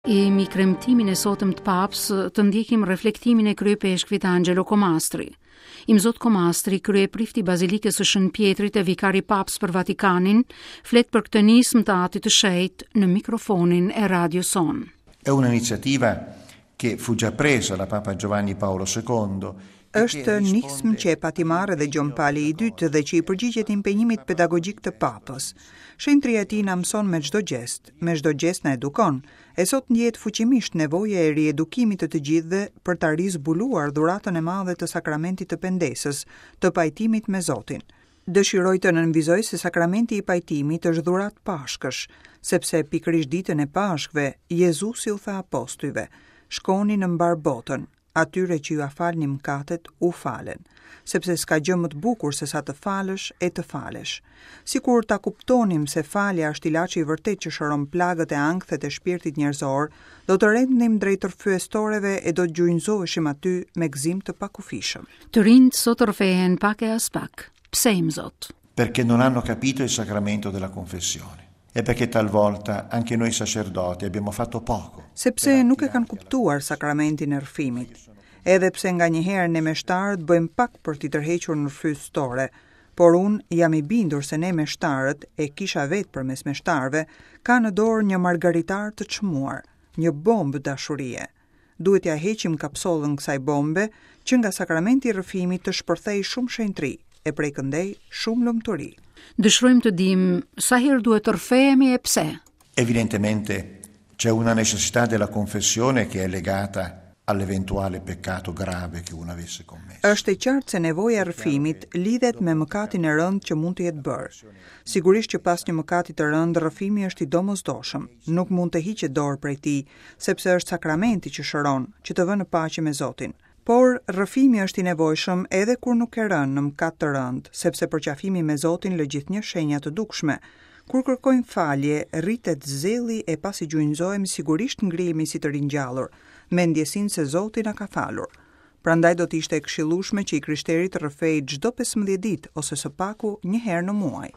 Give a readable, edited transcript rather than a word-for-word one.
E mbi kremtimin e sotëm të Papës të ndjekim reflektimin e kryeipeshkvit Angelo Comastri. Imzot Comastri, kryeprift i Bazilikës së Shën Pjetrit e vikar i Papës për Vatikanin, flet për këtë nismë të Atit të Shenjtë në mikrofonin e radios sonë. È un'iniziativa che fu già presa da Papa Giovanni Paolo II Është nismë që e pati marrë edhe Gjon Pali i Dytë dhe që i përgjigjet impenjimit pedagogjik të Papës. Shenjtëria e tij na mëson me çdo gjest, me çdo gjest na edukon, e sot ndjehet fuqimisht nevoja e riedukimit të të gjithëve për ta rizbuluar dhuratën e madhe të sakramentit të pendesës, të pajtimit me Zotin. Dëshiroj të nënvizoj se sakramenti i pajtimit është dhuratë Pashkësh, sepse pikërisht ditën e Pashkëve, Jezusi u tha apostujve, Shkoni në mbarë botën, Atyre që jua falni mëkatet, u falen, sepse s'ka gjë më të bukur se sa të falësh e të falesh. Sikur ta kuptonim se falja është ilaçi i vërtetë që shëron plagët e ankthet e shpirtit njerëzor, do të rendnim drejt rrëfyestoreve e do të gjunjëzoheshim aty me gëzim të pakufishëm. Të rinjtë sot rrëfehen pak e aspak. Pse Imzot? Perché non hanno capito il sacramento della confessione e perché talvolta anche noi sacerdoti abbiamo fatto poco. Sepse nuk e kanë kuptuar sakramentin e rrëfimit. Edhe pse nganjëherë ne meshtarët bëjmë pak për t'i tërhequr në rrëfyestore, por unë jam i bindur se ne meshtarët, e kisha vetë përmes meshtarëve, ka në dorë një margaritar të çmuar, një bombë dashurie. Duhet t'ia heqim kapsollën kësaj bombe, që nga sakramenti i rrëfimit të shpërthejë shumë shenjtëri, e prej këndej shumë lumturi. Dëshirojmë të dimë sa herë duhet të rrëfehemi e pse. Evidentemente c'è una necessità della confessione che è legata all'eventuale peccato grave che uno avesse commesso. Është e qartë se nevoja e rrëfimit lidhet me mëkatin e rëndë që mund të jetë bërë. Sigurisht që pas një mëkati të rëndë rrëfimi është i domosdoshëm, nuk mund të hiqet dorë prej tij, sepse është sakramenti që shëron, që të vë në paqe me Zotin. Por, rrëfimi është i nevojshëm edhe kur nuk ke rënë në mëkat të rëndë, sepse përqafimi me Zotin lë gjithnjë shenja të dukshme. Kur kërkojmë falje, rritet zelli e pasi gjunjëzohemi sigurisht ngrihemi si të ringjallur, me ndjesinë se Zoti na ka falur. Prandaj do të ishte e këshillueshme që i krishteri të rrëfejë çdo 15 ditë ose së paku një herë në muaj.